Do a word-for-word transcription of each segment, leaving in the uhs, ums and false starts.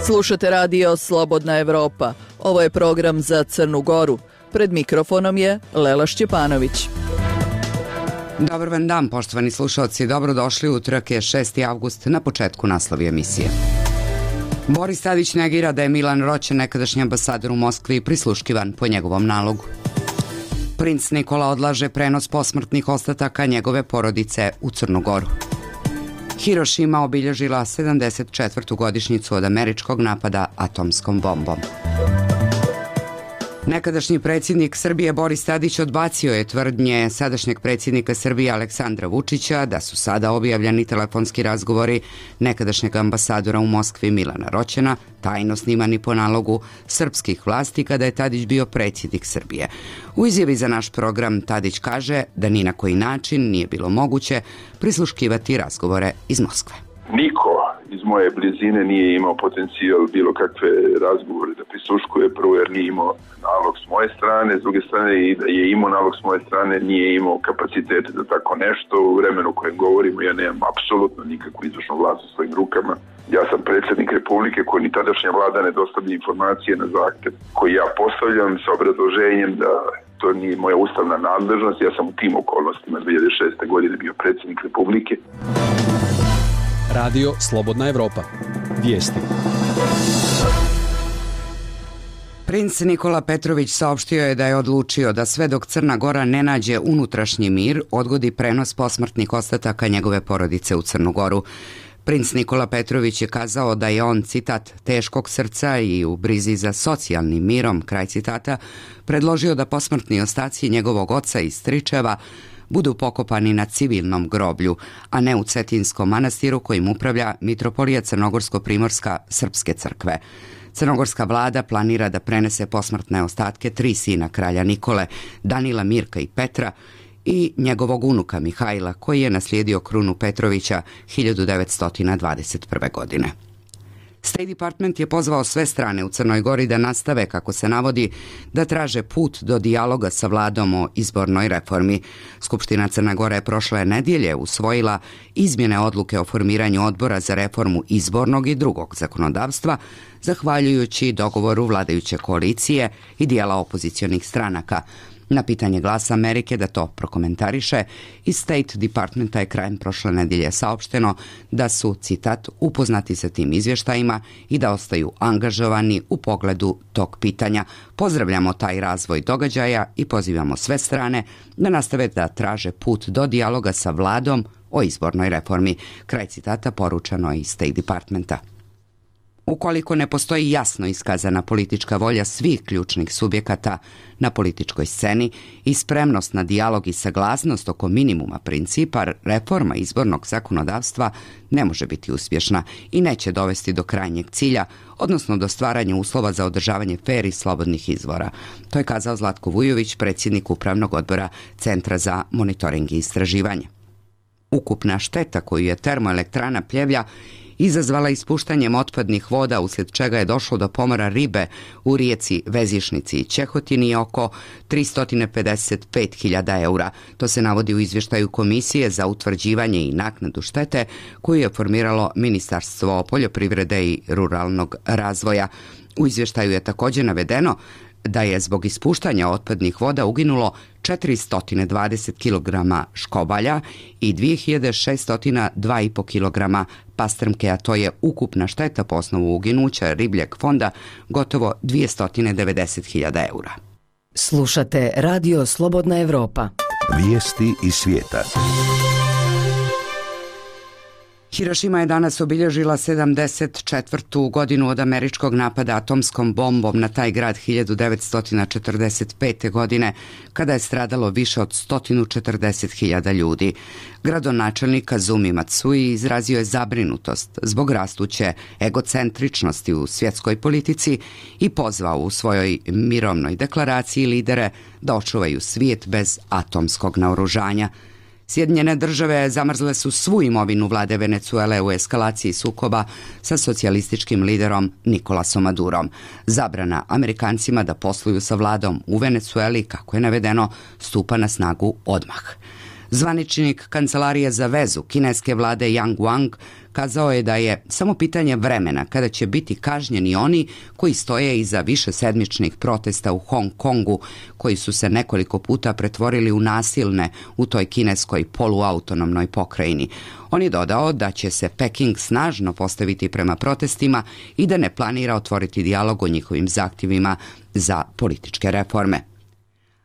Slušate radio Slobodna Evropa. Ovo je program za Crnu Goru. Pred mikrofonom je Lela Šćepanović. Dobar vam dan, poštovani slušalci. Dobrodošli, utorak je šesti avgust, na početku naslovi emisije. Boris Tadić negira da je Milan Roćen, nekadašnji ambasador u Moskvi, prisluškivan po njegovom nalogu. Princ Nikola odlaže prenos posmrtnih ostataka njegove porodice u Crnu Goru. Hirošima obilježila sedamdeset četvrtu godišnjicu od američkog napada atomskom bombom. Nekadašnji predsjednik Srbije Boris Tadić odbacio je tvrdnje sadašnjeg predsjednika Srbije Aleksandra Vučića da su sada objavljeni telefonski razgovori nekadašnjeg ambasadora u Moskvi Milana Roćena tajno snimani po nalogu srpskih vlasti kada je Tadić bio predsjednik Srbije. U izjavi za naš program Tadić kaže da ni na koji način nije bilo moguće prisluškivati razgovore iz Moskve. Niko iz moje blizine nije imao potencijal bilo kakve razgovore da prisluškuje, prvo jer nije imao nalog s moje strane, s druge strane i da je imao nalog s moje strane nije imao kapacitete da tako nešto. U vremenu u kojem govorimo ja nemam apsolutno nikakvu izvršnu vlast u svojim rukama. Ja sam predsjednik Republike koji ni tadašnja vlada ne dostavlja informacije na zahtev koji ja postavljam sa obrazloženjem da to nije moja ustavna nadležnost. Ja sam u tim okolnostima dvije hiljade šeste. godine bio predsjednik Republike. Radio Slobodna Evropa. Vijesti. Princ Nikola Petrović saopštio je da je odlučio da sve dok Crna Gora ne nađe unutrašnji mir, odgodi prenos posmrtnih ostataka njegove porodice u Crnu Goru. Princ Nikola Petrović je kazao da je on, citat, teškog srca i u brizi za socijalnim mirom, kraj citata, predložio da posmrtni ostaci njegovog oca i stričeva budu pokopani na civilnom groblju, a ne u Cetinskom manastiru kojim upravlja mitropolija Crnogorsko-Primorska srpske crkve. Crnogorska vlada planira da prenese posmrtne ostatke tri sina kralja Nikole, Danila, Mirka i Petra, i njegovog unuka Mihajla, koji je naslijedio krunu Petrovića hiljadu devetsto dvadeset prve. godine. State Department je pozvao sve strane u Crnoj Gori da nastave, kako se navodi, da traže put do dijaloga sa vladom o izbornoj reformi. Skupština Crne Gore prošle nedjelje usvojila izmjene odluke o formiranju odbora za reformu izbornog i drugog zakonodavstva, zahvaljujući dogovoru vladajuće koalicije i dijela opozicionih stranaka. Na pitanje Glasa Amerike da to prokomentariše, iz State Departmenta je krajem prošle nedjelje saopšteno da su, citat, upoznati sa tim izvještajima i da ostaju angažovani u pogledu tog pitanja. Pozdravljamo taj razvoj događaja i pozivamo sve strane da nastave da traže put do dijaloga sa vladom o izbornoj reformi. Kraj citata poručeno je iz State Departmenta. Ukoliko ne postoji jasno iskazana politička volja svih ključnih subjekata na političkoj sceni i spremnost na dijalog i saglasnost oko minimuma principa, reforma izbornog zakonodavstva ne može biti uspješna i neće dovesti do krajnjeg cilja, odnosno do stvaranja uslova za održavanje fer i slobodnih izbora. To je kazao Zlatko Vujović, predsjednik Upravnog odbora Centra za monitoring i istraživanje. Ukupna šteta koju je termoelektrana Pljevlja izazvala ispuštanjem otpadnih voda, uslijed čega je došlo do pomora ribe u rijeci Vezišnici i Čehotini, oko tristo pedeset pet hiljada eura. To se navodi u izvještaju Komisije za utvrđivanje i naknadu štete koju je formiralo Ministarstvo poljoprivrede i ruralnog razvoja. U izvještaju je također navedeno da je zbog ispuštanja otpadnih voda uginulo četiristo dvadeset kilograma škobalja i dvije hiljade šesto dva i po kilograma pastrmke, a to je ukupna šteta po osnovu uginuća ribljeg fonda gotovo dvjesto devedeset hiljada eura. Slušate Radio Slobodna Evropa. Vijesti iz svijeta. Hirošima je danas obilježila sedamdeset četvrtu godinu od američkog napada atomskom bombom na taj grad hiljadu devetsto četrdeset pete. godine, kada je stradalo više od sto četrdeset hiljada ljudi. Gradonačelnik Kazumi Matsui izrazio je zabrinutost zbog rastuće egocentričnosti u svjetskoj politici i pozvao u svojoj mirovnoj deklaraciji lidere da očuvaju svijet bez atomskog naoružanja. Sjedinjene države zamrzle su svu imovinu vlade Venecuele u eskalaciji sukoba sa socijalističkim liderom Nikolasom Madurom. Zabrana Amerikancima da posluju sa vladom u Venecueli, kako je navedeno, stupa na snagu odmah. Zvaničnik Kancelarije za vezu kineske vlade Yang Wang kazao je da je samo pitanje vremena kada će biti kažnjeni oni koji stoje iza višesedmičnih protesta u Hong Kongu, koji su se nekoliko puta pretvorili u nasilne u toj kineskoj poluautonomnoj pokrajini. On je dodao da će se Peking snažno postaviti prema protestima i da ne planira otvoriti dijalog o njihovim zahtjevima za političke reforme.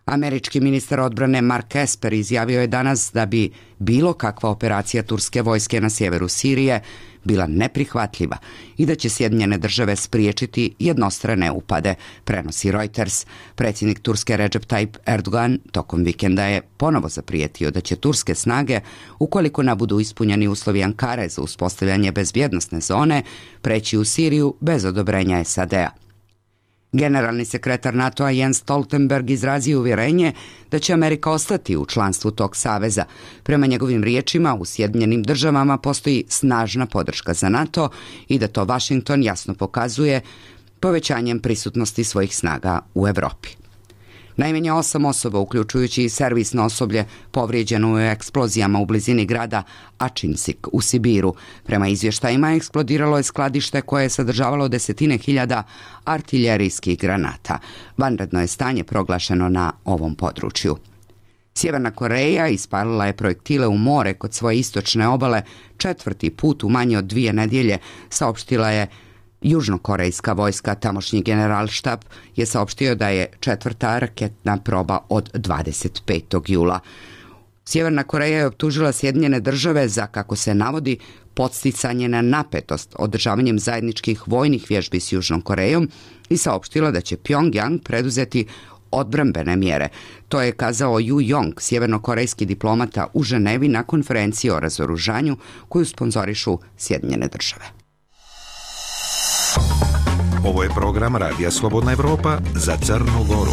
Američki ministar odbrane Mark Esper izjavio je danas da bi bilo kakva operacija turske vojske na sjeveru Sirije bila neprihvatljiva i da će Sjedinjene države spriječiti jednostrane upade, prenosi Reuters. Predsjednik Turske Recep Tayyip Erdogan tokom vikenda je ponovo zaprijetio da će turske snage, ukoliko ne budu ispunjeni uslovi Ankare za uspostavljanje bezbjednosne zone, preći u Siriju bez odobrenja S A D-a. Generalni sekretar NATO-a Jens Stoltenberg izrazio uvjerenje da će Amerika ostati u članstvu tog saveza. Prema njegovim riječima, u Sjedinjenim državama postoji snažna podrška za NATO i da to Washington jasno pokazuje povećanjem prisutnosti svojih snaga u Europi. Najmanje osam osoba, uključujući i servisno osoblje, povrijeđeno u eksplozijama u blizini grada Ačinsik u Sibiru. Prema izvještajima, eksplodiralo je skladište koje je sadržavalo desetine hiljada artiljerijskih granata. Vanredno je stanje proglašeno na ovom području. Sjeverna Koreja ispalila je projektile u more kod svoje istočne obale četvrti put u manje od dvije nedjelje, saopštila je južnokorejska vojska. Tamošnji generalštab je saopštio da je četvrta raketna proba od dvadeset petog jula. Sjeverna Koreja je optužila Sjedinjene države za, kako se navodi, podsticanje na napetost održavanjem zajedničkih vojnih vježbi s Južnom Korejom i saopštila da će Pyongyang preduzeti odbrambene mjere. To je kazao Ju Jong, sjevernokorejski diplomata u Ženevi na konferenciji o razoružanju koju sponzorišu Sjedinjene države. Ovo je program Radija Slobodna Evropa za Crnu Goru.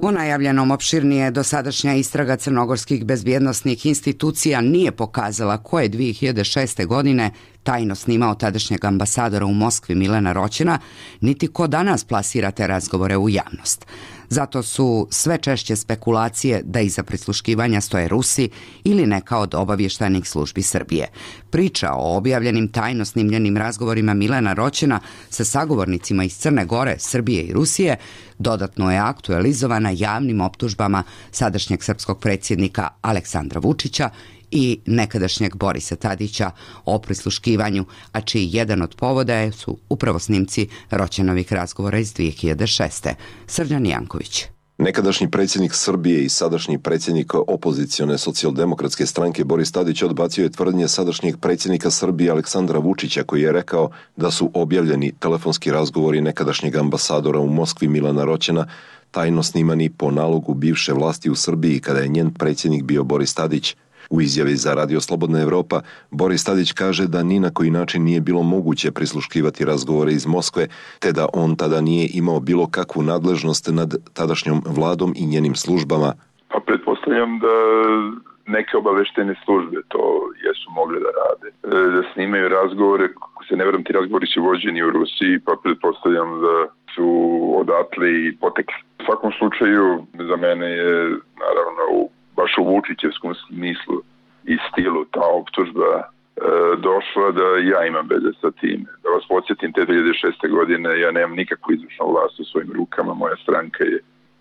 U najavljenom opširnije dosadašnja istraga crnogorskih bezbjednosnih institucija nije pokazala ko je dvije hiljade šeste. godine tajno snimao tadašnjeg ambasadora u Moskvi Milana Roćena, niti ko danas plasira te razgovore u javnost. Zato su sve češće spekulacije da iza prisluškivanja stoje Rusi ili neka od obavještajnih službi Srbije. Priča o objavljenim tajno snimljenim razgovorima Milana Roćena sa sagovornicima iz Crne Gore, Srbije i Rusije dodatno je aktualizovana javnim optužbama sadašnjeg srpskog predsjednika Aleksandra Vučića i nekadašnjeg Borisa Tadića o prisluškivanju, a čiji jedan od povoda su upravo snimci Roćenovih razgovora iz dvije hiljade šeste. Srđan Janković. Nekadašnji predsjednik Srbije i sadašnji predsjednik opozicione socijaldemokratske stranke Boris Tadić odbacio je tvrdnje sadašnjeg predsjednika Srbije Aleksandra Vučića, koji je rekao da su objavljeni telefonski razgovori nekadašnjeg ambasadora u Moskvi Milana Roćena tajno snimani po nalogu bivše vlasti u Srbiji kada je njen predsjednik bio Boris Tadić. U izjavi za Radio Slobodna Evropa, Boris Tadić kaže da ni na koji način nije bilo moguće prisluškivati razgovore iz Moskve, te da on tada nije imao bilo kakvu nadležnost nad tadašnjom vladom i njenim službama. Pa pretpostavljam da neke obaveštene službe to jesu mogle da rade. Da snimaju razgovore, ako se ne vjerujem, ti razgovori su vođeni u Rusiji, pa pretpostavljam da su odatle i potekli. U svakom slučaju, za mene je naravno u baš u Vučićevskom smislu i stilu ta optužba e, došla da ja imam veze sa tim. Da vas podsjetim, te dvije hiljade šeste. godine ja nemam nikakvu izvršnu vlast u svojim rukama, moja stranka je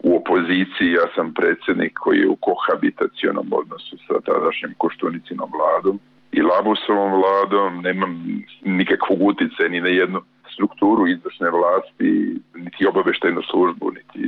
u opoziciji, ja sam predsjednik koji je u kohabitacionom odnosu sa tadašnjim Koštunicinom vladom i Labusovom vladom, nemam nikakvog utjecaja ni na jednu strukturu izvršne vlasti, niti obaveštajnu službu, niti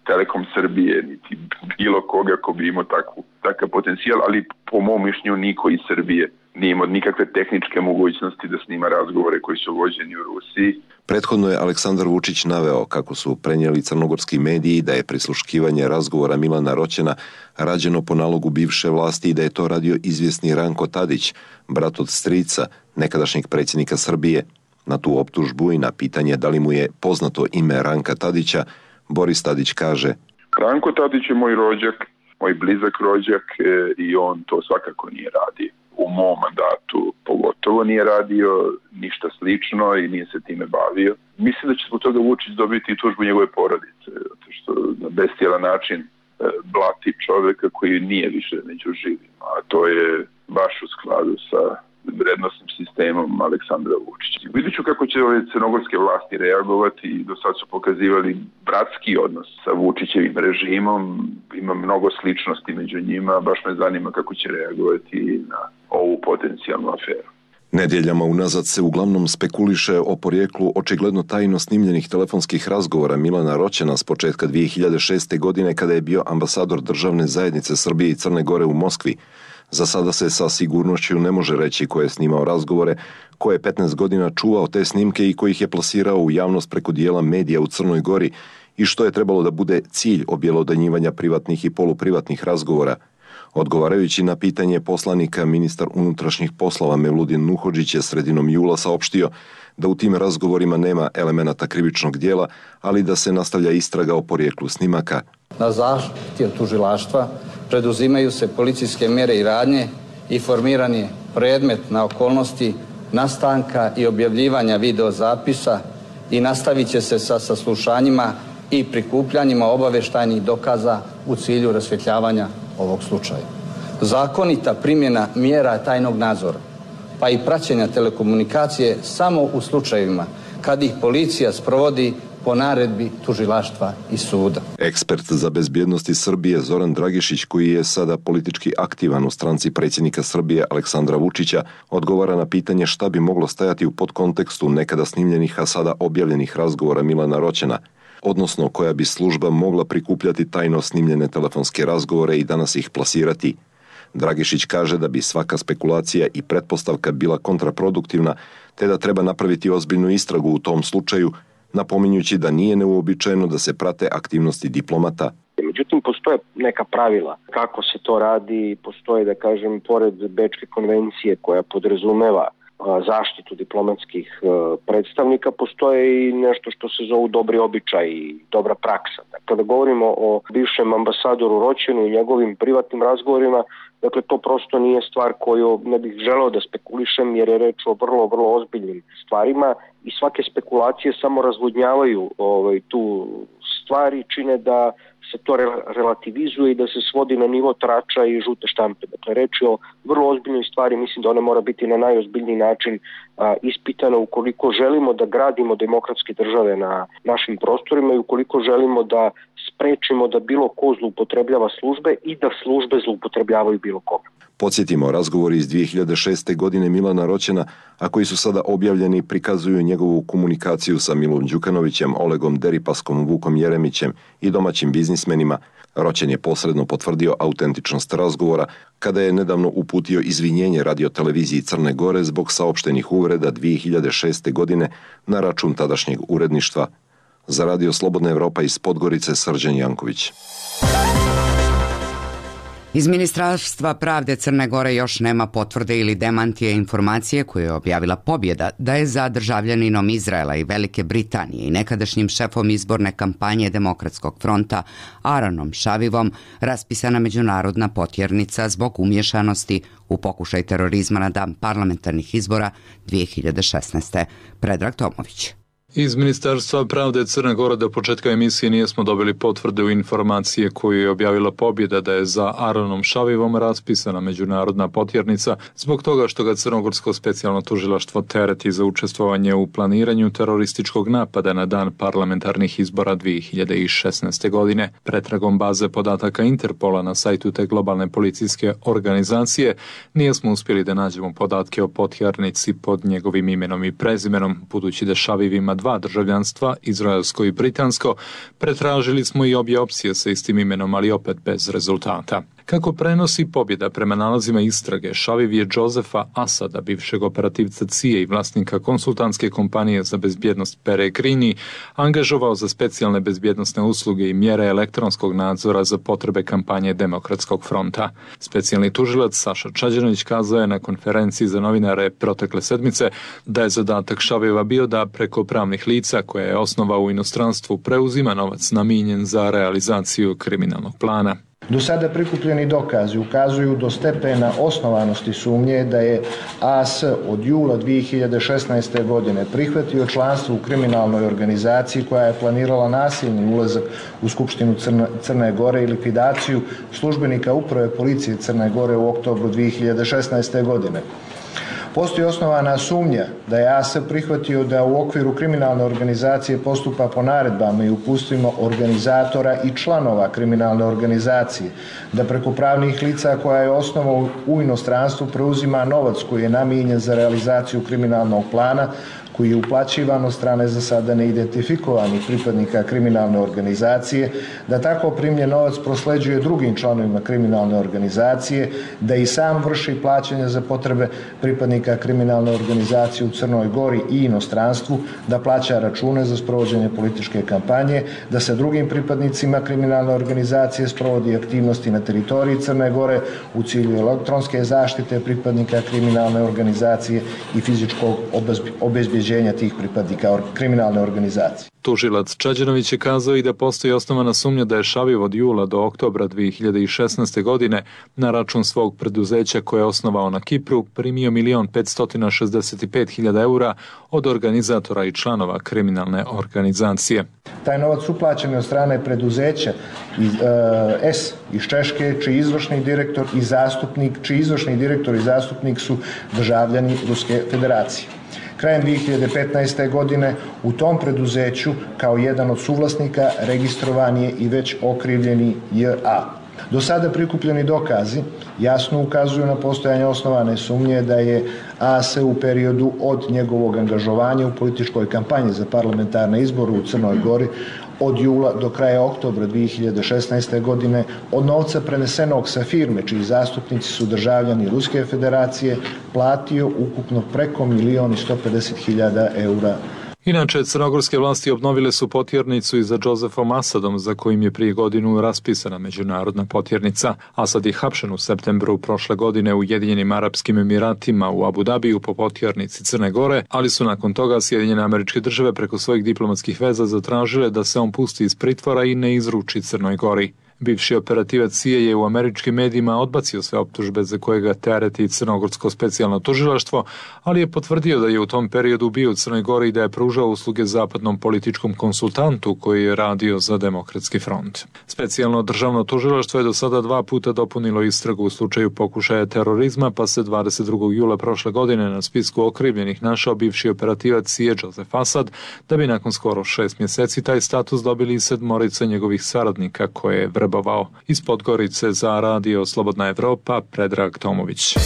Telekom Srbije, niti bilo koga ko bi imao takvu, takav potencijal, ali po mom mišljenju niko iz Srbije nije imao nikakve tehničke mogućnosti da snima razgovore koji su vođeni u Rusiji. Prethodno je Aleksandar Vučić naveo kako su prenijeli crnogorski mediji da je prisluškivanje razgovora Milana Roćena rađeno po nalogu bivše vlasti i da je to radio izvjesni Ranko Tadić, brat od strica nekadašnjeg predsjednika Srbije. Na tu optužbu i na pitanje da li mu je poznato ime Ranka Tadića, Boris Tadić kaže: Ranko Tadić je moj rođak, moj blizak rođak e, i on to svakako nije radio. U mom mandatu pogotovo nije radio ništa slično i nije se time bavio. Mislim da će zbog toga Vučić dobiti tužbu njegove porodice, zato što na bestijalan način blati čovjeka koji nije više među živima, a to je baš u skladu sa vrednostnim sistemom Aleksandra Vučića. Vidjet ću kako će ove crnogorske vlasti reagovati. Do sad su pokazivali bratski odnos sa Vučićevim režimom. Ima mnogo sličnosti među njima. Baš me zanima kako će reagovati na ovu potencijalnu aferu. Nedjeljama unazad se uglavnom spekuliše o porijeklu očigledno tajno snimljenih telefonskih razgovora Milana Roćena s početka dvije hiljade šeste. godine kada je bio ambasador državne zajednice Srbije i Crne Gore u Moskvi. Za sada se sa sigurnošću ne može reći ko je snimao razgovore, ko je petnaest godina čuvao te snimke i ko ih je plasirao u javnost preko dijela medija u Crnoj Gori i što je trebalo da bude cilj objelodanjivanja privatnih i poluprivatnih razgovora. Odgovarajući na pitanje poslanika, ministar unutrašnjih poslova Mevludin Nuhodžić je sredinom jula saopštio da u tim razgovorima nema elemenata krivičnog dijela, ali da se nastavlja istraga o porijeklu snimaka. Na zahtjev tužilaštva preduzimaju se policijske mjere i radnje i formiran je predmet na okolnosti nastanka i objavljivanja videozapisa i nastavit će se sa saslušanjima i prikupljanjima obavještajnih dokaza u cilju rasvjetljavanja ovog slučaja. Zakonita primjena mjera tajnog nadzora, pa i praćenja telekomunikacije samo u slučajevima kad ih policija sprovodi po naredbi tužilaštva i suda. Ekspert za bezbjednosti Srbije Zoran Dragišić, koji je sada politički aktivan u stranci predsjednika Srbije Aleksandra Vučića, odgovara na pitanje šta bi moglo stajati u podkontekstu nekada snimljenih, a sada objavljenih razgovora Milana Roćena, odnosno koja bi služba mogla prikupljati tajno snimljene telefonske razgovore i danas ih plasirati. Dragišić kaže da bi svaka spekulacija i pretpostavka bila kontraproduktivna, te da treba napraviti ozbiljnu istragu u tom slučaju, napominjući da nije neuobičajeno da se prate aktivnosti diplomata. Međutim, postoje neka pravila kako se to radi, postoje, da kažem, pored Bečke konvencije koja podrazumeva zaštitu diplomatskih predstavnika, postoje i nešto što se zovu dobri običaj i dobra praksa. Kada govorimo o bivšem ambasadoru Roćenu i njegovim privatnim razgovorima, dakle to prosto nije stvar koju ne bih želeo da spekulišem, jer je reč o vrlo, vrlo ozbiljnim stvarima i svake spekulacije samo razvodnjavaju ovaj, tu stvari, čine da se to relativizuje i da se svodi na nivo trača i žute štampe. Dakle, reč je o vrlo ozbiljnoj stvari, mislim da ona mora biti na najozbiljniji način a, ispitana ukoliko želimo da gradimo demokratske države na našim prostorima i ukoliko želimo da sprečimo da bilo ko zloupotrebljava službe i da službe zloupotrebljavaju bilo koga. Podsjetimo, razgovori iz dvije hiljade šeste. godine Milana Roćena, a koji su sada objavljeni, prikazuju njegovu komunikaciju sa Milom Đukanovićem, Olegom Deripaskom, Vukom Jeremićem i domaćim biznismenima. Roćen je posredno potvrdio autentičnost razgovora kada je nedavno uputio izvinjenje radioteleviziji Crne Gore zbog saopštenih uvreda dvije hiljade šeste. godine na račun tadašnjeg uredništva. Za Radio Slobodna Evropa iz Podgorice, Srđan Janković. Iz Ministarstva pravde Crne Gore još nema potvrde ili demantije informacije koje je objavila Pobjeda da je za državljaninom Izraela i Velike Britanije i nekadašnjim šefom izborne kampanje Demokratskog fronta Aaronom Šavivom raspisana međunarodna potjernica zbog umješanosti u pokušaj terorizma na dan parlamentarnih izbora dvije hiljade šesnaeste. Predrag Tomović. Iz Ministarstva pravde Crne Gore do početka emisije nijesmo dobili potvrde u informacije koju je objavila Pobjeda da je za Aaronom Šavivom raspisana međunarodna potjernica zbog toga što ga Crnogorsko specijalno tužilaštvo tereti za učestvovanje u planiranju terorističkog napada na dan parlamentarnih izbora dvije hiljade šesnaeste. godine. Pretragom baze podataka Interpola na sajtu te globalne policijske organizacije nijesmo uspjeli da nađemo podatke o potjernici pod njegovim imenom i prezimenom, budući da Šaviv ima dva državljanstva, izraelsko i britansko. Pretražili smo i obje opcije sa istim imenom, ali opet bez rezultata. Kako prenosi Pobjeda prema nalazima istrage, Šaviv je Josefa Asada, bivšeg operativca C I A i vlasnika konsultantske kompanije za bezbjednost Peregrini, angažovao za specijalne bezbjednosne usluge i mjere elektronskog nadzora za potrebe kampanje Demokratskog fronta. Specijalni tužilac Saša Čađanović kazao je na konferenciji za novinare protekle sedmice da je zadatak Šaviva bio da preko pravnih lica koje je osnovao u inostranstvu preuzima novac namijenjen za realizaciju kriminalnog plana. Do sada prikupljeni dokazi ukazuju do stepena osnovanosti sumnje da je A S od jula dvije hiljade šesnaeste. godine prihvatio članstvo u kriminalnoj organizaciji koja je planirala nasilni ulazak u Skupštinu Crne, Crne Gore i likvidaciju službenika Uprave policije Crne Gore u oktobru dvije hiljade šesnaeste. godine. Postoji osnovana sumnja da je A S prihvatio da u okviru kriminalne organizacije postupa po naredbama i upustvima organizatora i članova kriminalne organizacije, da preko pravnih lica koja je osnovao u inostranstvu preuzima novac koji je namijenjen za realizaciju kriminalnog plana koji je uplaćivan od strane za sada neidentifikovanih pripadnika kriminalne organizacije, da tako primljen novac prosleđuje drugim članovima kriminalne organizacije, da i sam vrši plaćanje za potrebe pripadnika kriminalne organizacije u Crnoj Gori i inostranstvu, da plaća račune za sprovođenje političke kampanje, da sa drugim pripadnicima kriminalne organizacije sprovodi aktivnosti na teritoriji Crne Gore u cilju elektronske zaštite pripadnika kriminalne organizacije i fizičkog obezbeđenja tih pripadnika kriminalne organizacije. Tužilac Čađanović je kazao i da postoji osnovana sumnja da je Šaviv od jula do oktobra dvije hiljade šesnaeste. godine na račun svog preduzeća koje je osnovao na Kipru primio milion petsto šezdeset pet hiljada eura od organizatora i članova kriminalne organizacije. Taj novac uplaćen je od strane preduzeća iz, uh, S iz Češke, čiji izvršni direktor i zastupnik, čiji izvršni direktor i zastupnik su državljani Ruske federacije. Krajem dvije hiljade petnaeste. godine u tom preduzeću kao jedan od suvlasnika registrovan je i već okrivljeni J A. Do sada prikupljeni dokazi jasno ukazuju na postojanje osnovane sumnje da je A S u periodu od njegovog angažovanja u političkoj kampanji za parlamentarne izbore u Crnoj Gori od jula do kraja oktobra dvije hiljade šesnaeste. godine od novca prenesenog sa firme čiji zastupnici su državljani Ruske federacije platio ukupno preko milion i sto pedeset hiljada eura. Inače, crnogorske vlasti obnovile su potjernicu i za Džozefom Asadom, za kojim je prije godinu raspisana međunarodna potjernica. Asad je hapšen u septembru prošle godine u Ujedinjenim Arapskim Emiratima u Abu Dabiju po potjernici Crne Gore, ali su nakon toga Sjedinjene Američke Države preko svojih diplomatskih veza zatražile da se on pusti iz pritvora i ne izruči Crnoj Gori. Bivši operativac C I A je u američkim medijima odbacio sve optužbe za koje ga tereti crnogorsko specijalno tužilaštvo, ali je potvrdio da je u tom periodu bio u Crnoj Gori i da je pružao usluge zapadnom političkom konsultantu koji je radio za Demokratski front. Specijalno državno tužilaštvo je do sada dva puta dopunilo istragu u slučaju pokušaja terorizma, pa se dvadeset drugog jula prošle godine na spisku okrivljenih našao bivši operativac C I A Josef Asad, da bi nakon skoro šest mjeseci taj status dobili i sedmorica njegovih saradnika koje je vrbovao. Iz Podgorice za radio Slobodna Evropa, Predrag Tomović.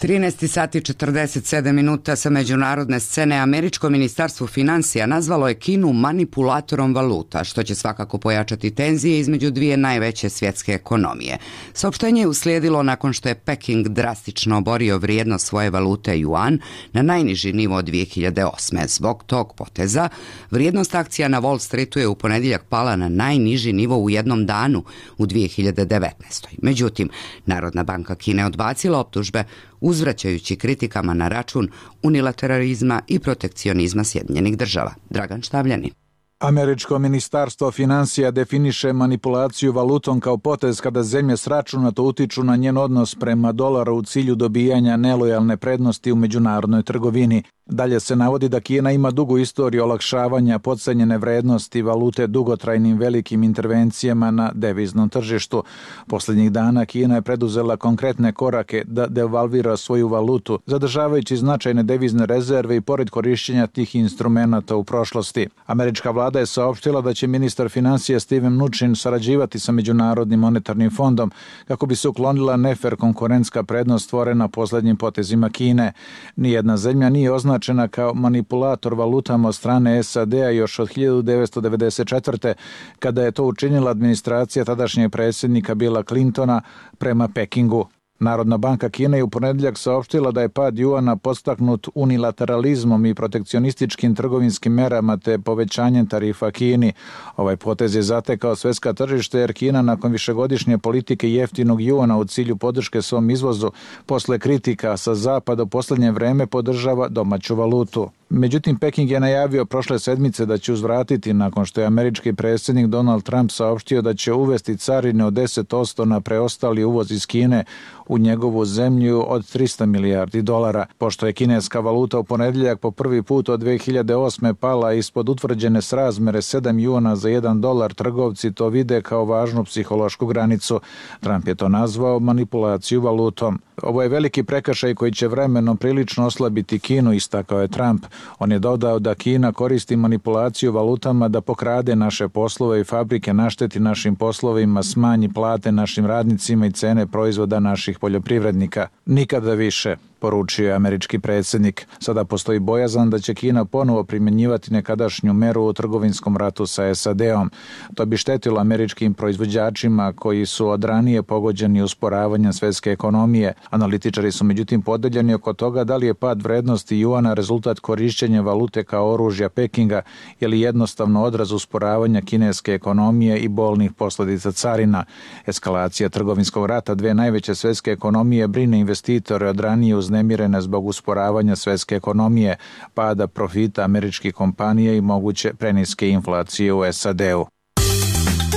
trinaest sati četrdeset sedam minuta sa međunarodne scene. Američko ministarstvo financija nazvalo je Kinu manipulatorom valuta, što će svakako pojačati tenzije između dvije najveće svjetske ekonomije. Saopštenje je uslijedilo nakon što je Peking drastično oborio vrijednost svoje valute juan na najniži nivo od dvije hiljade osme. Zbog tog poteza, vrijednost akcija na Wall Streetu je u ponedjeljak pala na najniži nivo u jednom danu u dvije hiljade devetnaestoj. Međutim, Narodna banka Kine odbacila optužbe uzvraćajući kritikama na račun unilateralizma i protekcionizma Sjedinjenih država. Dragan Štavljanin. Američko ministarstvo financija definiše manipulaciju valutom kao potez kada zemlje sračunato utiču na njen odnos prema dolaru u cilju dobijanja nelojalne prednosti u međunarodnoj trgovini. Dalje se navodi da Kina ima dugu istoriju olakšavanja potcenjene vrednosti valute dugotrajnim velikim intervencijama na deviznom tržištu. Posljednjih dana Kina je preduzela konkretne korake da devalvira svoju valutu, zadržavajući značajne devizne rezerve i pored korišćenja tih instrumenata u prošlosti. Američka vlada je saopštila da će ministar financija Steven Mnuchin sarađivati sa Međunarodnim monetarnim fondom kako bi se uklonila nefer konkurentska prednost stvorena posljednjim potezima Kine. Nijedna zemlja nije označena kao manipulator valutama od strane S A D-a još od hiljadu devetsto devedeset četvrte. kada je to učinila administracija tadašnjeg predsjednika Billa Clintona prema Pekingu. Narodna banka Kine je u ponedjeljak saopštila da je pad juana podstaknut unilateralizmom i protekcionističkim trgovinskim merama te povećanjem tarifa Kini. Ovaj potez je zatekao svjetska tržište jer Kina nakon višegodišnje politike jeftinog juana u cilju podrške svom izvozu posle kritika sa zapada u posljednje vreme podržava domaću valutu. Međutim, Peking je najavio prošle sedmice da će uzvratiti nakon što je američki predsjednik Donald Trump saopštio da će uvesti carine od deset posto na preostali uvoz iz Kine u njegovu zemlju od trista milijardi dolara. Pošto je kineska valuta u ponedjeljak po prvi put od dve hiljade osme pala ispod utvrđene srazmere sedam juana za jedan dolar, trgovci to vide kao važnu psihološku granicu. Trump je to nazvao manipulaciju valutom. Ovo je veliki prekršaj koji će vremenom prilično oslabiti Kinu, istakao je Trump. On je dodao da Kina koristi manipulaciju valutama da pokrade naše poslove i fabrike, našteti našim poslovima, smanji plate našim radnicima i cene proizvoda naših poljoprivrednika. Nikada više, poručio je američki predsjednik. Sada postoji bojazan da će Kina ponovo primjenjivati nekadašnju meru u trgovinskom ratu sa S A D-om. To bi štetilo američkim proizvođačima koji su od ranije pogođeni usporavanjem svjetske ekonomije. Analitičari su međutim podeljeni oko toga da li je pad vrednosti juana rezultat korišćenja valute kao oružja Pekinga ili jednostavno odraz usporavanja kineske ekonomije i bolnih posljedica carina. Eskalacija trgovinskog rata dve najveće svjetske ekonomije brine investitore od ranije uznemirene zbog usporavanja svjetske ekonomije, pada profita američkih kompanija i moguće preniske inflacije u S A D-u.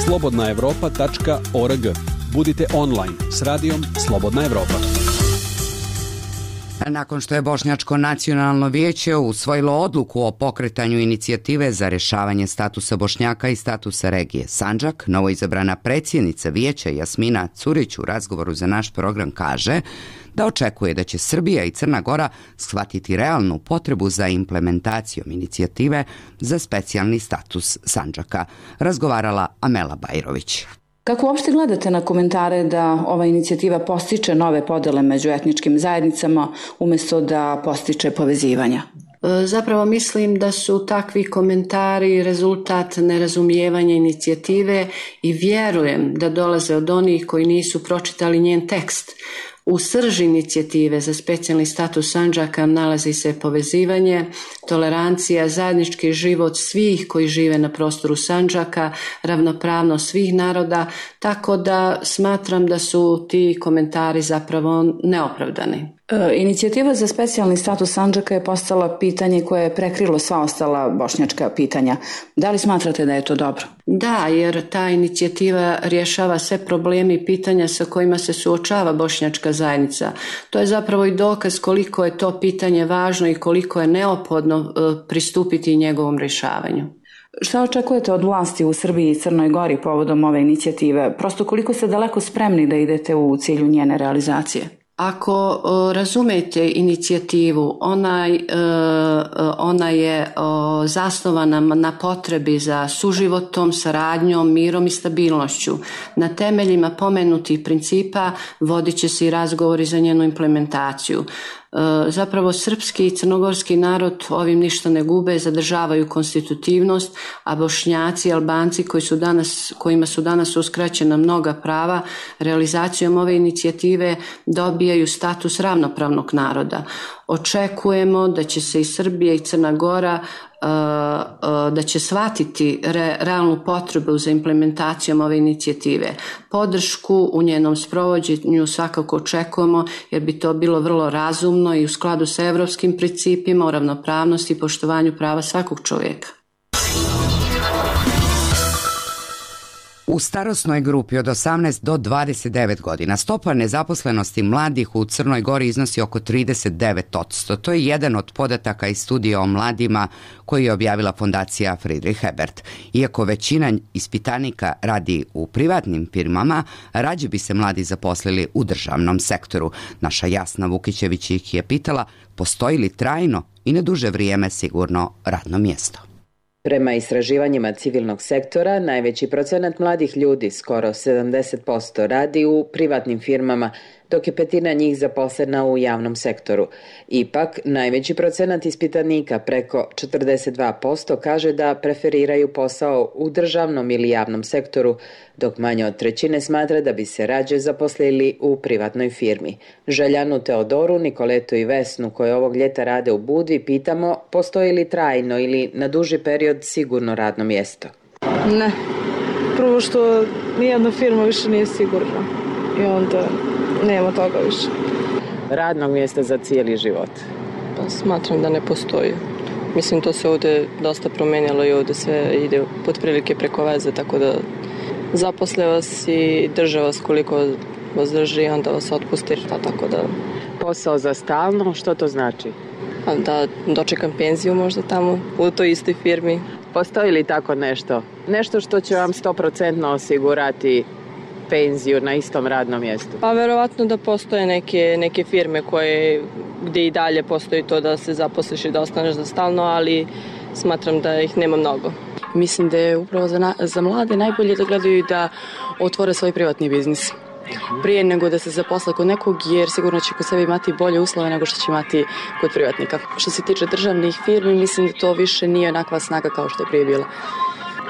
slobodna evropa tačka org. Budite online s radijom Slobodna Evropa. Nakon što je Bošnjačko nacionalno vijeće usvojilo odluku o pokretanju inicijative za rješavanje statusa Bošnjaka i statusa regije Sandžak, novoizabrana predsjednica vijeća Jasmina Curić u razgovoru za naš program kaže da očekuje da će Srbija i Crna Gora shvatiti realnu potrebu za implementacijom inicijative za specijalni status Sandžaka. Razgovarala Amela Bajrović. Kako uopšte gledate na komentare da ova inicijativa postiče nove podele među etničkim zajednicama umjesto da postiče povezivanja? Zapravo mislim da su takvi komentari rezultat nerazumijevanja inicijative i vjerujem da dolaze od onih koji nisu pročitali njen tekst. U srži inicijative za specijalni status Sandžaka nalazi se povezivanje, tolerancija, zajednički život svih koji žive na prostoru Sandžaka, ravnopravnost svih naroda, tako da smatram da su ti komentari zapravo neopravdani. E, inicijativa za specijalni status Sandžaka je postala pitanje koje je prekrilo sva ostala bošnjačka pitanja. Da li smatrate da je to dobro? Da, jer ta inicijativa rješava sve problemi i pitanja sa kojima se suočava bošnjačka zajednica. To je zapravo i dokaz koliko je to pitanje važno i koliko je neophodno pristupiti njegovom rješavanju. Šta očekujete od vlasti u Srbiji i Crnoj Gori povodom ove inicijative? Prosto koliko ste daleko spremni da idete u cilju njene realizacije? Ako uh, razumete inicijativu, ona, uh, ona je uh, zasnovana na potrebi za suživotom, saradnjom, mirom i stabilnošću. Na temeljima pomenutih principa vodit će se i razgovori za njenu implementaciju. Zapravo srpski i crnogorski narod ovim ništa ne gube, zadržavaju konstitutivnost, a Bošnjaci i Albanci koji su danas, kojima su danas uskraćena mnoga prava, realizacijom ove inicijative dobijaju status ravnopravnog naroda. Očekujemo da će se i Srbija i Crna Gora da će shvatiti re, realnu potrebu za implementacijom ove inicijative. Podršku u njenom sprovođenju svakako očekujemo jer bi to bilo vrlo razumno i u skladu sa evropskim principima o ravnopravnosti i poštovanju prava svakog čovjeka. U starosnoj grupi od osamnaest do dvadeset devet godina stopa nezaposlenosti mladih u Crnoj Gori iznosi oko trideset devet posto. To je jedan od podataka iz studija o mladima koji je objavila fondacija Friedrich Ebert. Iako većina ispitanika radi u privatnim firmama, rađe bi se mladi zaposlili u državnom sektoru. Naša Jasna Vukićević ih je pitala postoji li trajno i na duže vrijeme sigurno radno mjesto. Prema istraživanjima civilnog sektora, najveći procenat mladih ljudi, skoro sedamdeset posto, radi u privatnim firmama, dok je petina njih zaposlena u javnom sektoru. Ipak, najveći procenat ispitanika, preko četrdeset dva posto, kaže da preferiraju posao u državnom ili javnom sektoru, dok manje od trećine smatra da bi se rađe zaposlili u privatnoj firmi. Željanu, Teodoru, Nikoletu i Vesnu, koje ovog ljeta rade u Budvi, pitamo postoji li trajno ili na duži period sigurno radno mjesto. Ne. Prvo što nijedna firma više nije sigurna i onda nema toga više. Radnog mjesta za cijeli život? Pa smatram da ne postoji. Mislim, to se ovde dosta promenjalo i ovde sve ide pod prilike preko veze, tako da zaposle vas i drže vas koliko vas drži, onda vas otpusti, tako da... Posao za stalno, što to znači? Da dočekam penziju možda tamo, u toj istoj firmi. Postoji li tako nešto? Nešto što će vam sto posto osigurati penziju na istom radnom mjestu? Pa verovatno da postoje neke, neke firme koje, gdje i dalje postoji to da se zaposliš i da ostaneš za stalno, ali smatram da ih nema mnogo. Mislim da je upravo za, na, za mlade najbolje da gledaju da otvore svoj privatni biznis prije nego da se zaposle kod nekog, jer sigurno će kod sebe imati bolje uslove nego što će imati kod privatnika. Što se tiče državnih firmi, mislim da to više nije onakva snaga kao što je prije bila.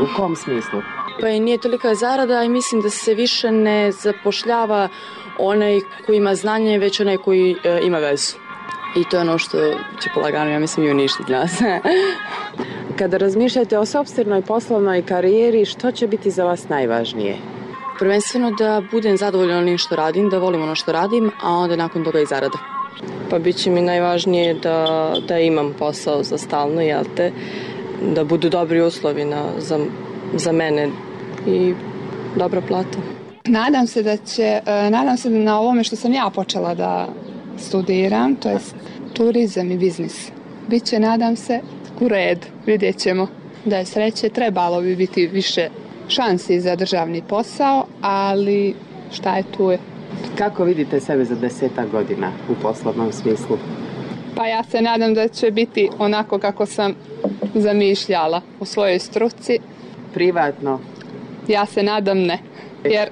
U kom smislu? Pa i nije tolika zarada i mislim da se više ne zapošljava onaj koji ima znanje, već onaj koji e, ima vezu. I to je ono što će polagano, ja mislim, i uništiti nas. Kada razmišljate o sopstvenoj poslovnoj karijeri, što će biti za vas najvažnije? Prvenstveno da budem zadovoljna onim što radim, da volim ono što radim, a onda nakon toga i zarada. Pa bit će mi najvažnije da, da imam posao za stalno, jel te, da budu dobri uslovi na, za, za mene i dobra plata. Nadam se da će, nadam se da na ovome što sam ja počela da studiram, to je turizam i biznis. Biće, nadam se, u redu, vidjet ćemo. Da je sreće, trebalo bi biti više šansi za državni posao, ali šta je tu je. Kako vidite sebe za desetak godina u poslovnom smislu? Pa ja se nadam da će biti onako kako sam zamišljala u svojoj struci. Privatno? Ja se nadam ne, jer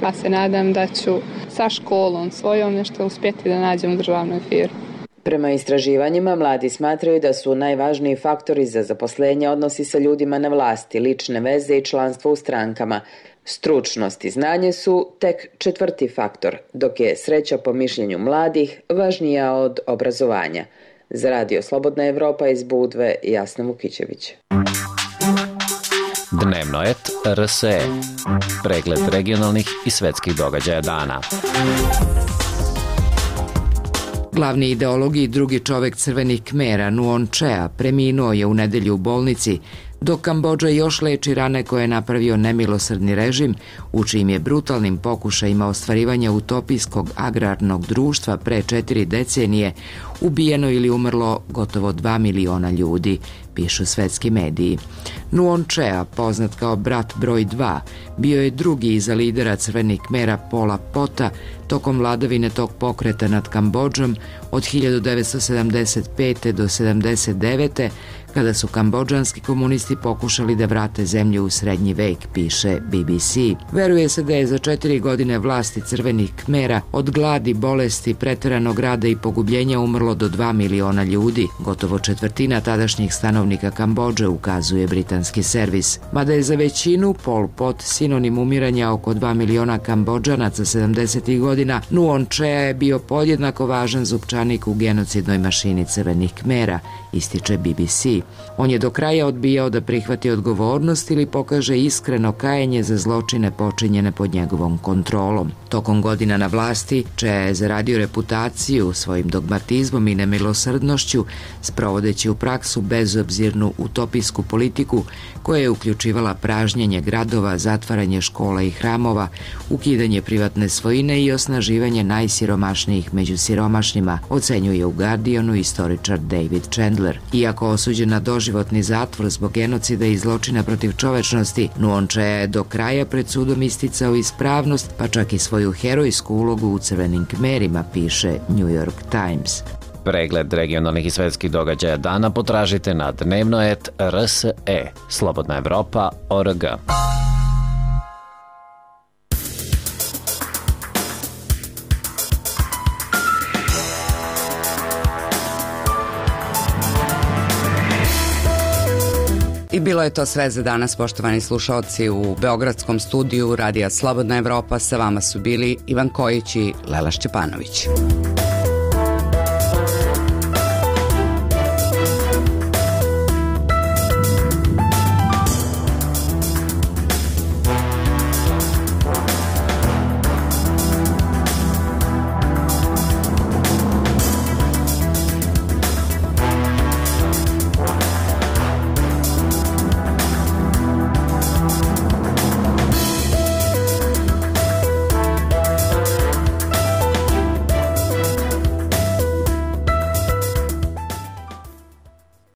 ja se nadam da ću sa školom svojom nešto uspjeti da nađem u državnoj firmi. Prema istraživanjima, mladi smatraju da su najvažniji faktori za zaposlenje odnosi sa ljudima na vlasti, lične veze i članstvo u strankama. Stručnost i znanje su tek četvrti faktor, dok je sreća po mišljenju mladih važnija od obrazovanja. Za Radio Slobodna Evropa iz Budve, Jasna Vukićević. Dnevno et R S E. Pregled regionalnih i svetskih događaja dana. Glavni ideolog i drugi čovek crvenih Kmera, Nuon Chea, preminuo je u nedelju u bolnici, dok Kambodža još leči rane koje je napravio nemilosrdni režim, u čijim je brutalnim pokušajima ostvarivanja utopijskog agrarnog društva pre četiri decenije ubijeno ili umrlo gotovo dva miliona ljudi, pišu svetski mediji. Nuon Chea, poznat kao brat broj dva, bio je drugi iza lidera crvenih Kmera Pola Pota tokom vladavine tog pokreta nad Kambodžom od hiljadu devetsto sedamdeset pete do sedamdeset devete kada su kambodžanski komunisti pokušali da vrate zemlju u srednji vek, piše B B C. Veruje se da je za četiri godine vlasti crvenih Kmera od gladi, bolesti, preteranog rada i pogubljenja umrlo do dva miliona ljudi, gotovo četvrtina tadašnjih stanovnika Kambodže, ukazuje britanski servis. Mada je za većinu Pol Pot sinonim umiranja oko dva miliona Kambodžanaca sedamdesetih godina, Nuon Chea je bio podjednako važan zupčanik u genocidnoj mašini crvenih Kmera, ističe B B C. On je do kraja odbijao da prihvati odgovornost ili pokaže iskreno kajanje za zločine počinjene pod njegovom kontrolom. Tokom godina na vlasti, Chea je zaradio reputaciju svojim dogmatizmom i nemilosrdnošću, sprovodeći u praksu bezobzirnu utopijsku politiku koja je uključivala pražnjenje gradova, zatvaranje škola i hramova, ukidanje privatne svojine i osnaživanje najsiromašnijih među siromašnima, ocenjuje u Guardianu istoričar David Chandler. Iako osuđen na doživotni zatvor zbog genocida i zločina protiv čovečnosti, Nuon Chea je do kraja pred sudom isticao ispravnost, pa čak i svoju herojsku ulogu u crvenim Kmerima, piše New York Times. Pregled regionalnih i svetskih događaja dana potražite na dnevno et R S E, Slobodna Evropa, O R G. I bilo je to sve za danas, poštovani slušalci. U beogradskom studiju Radija Slobodna Evropa sa vama su bili Ivan Kojić i Lela Šćepanović.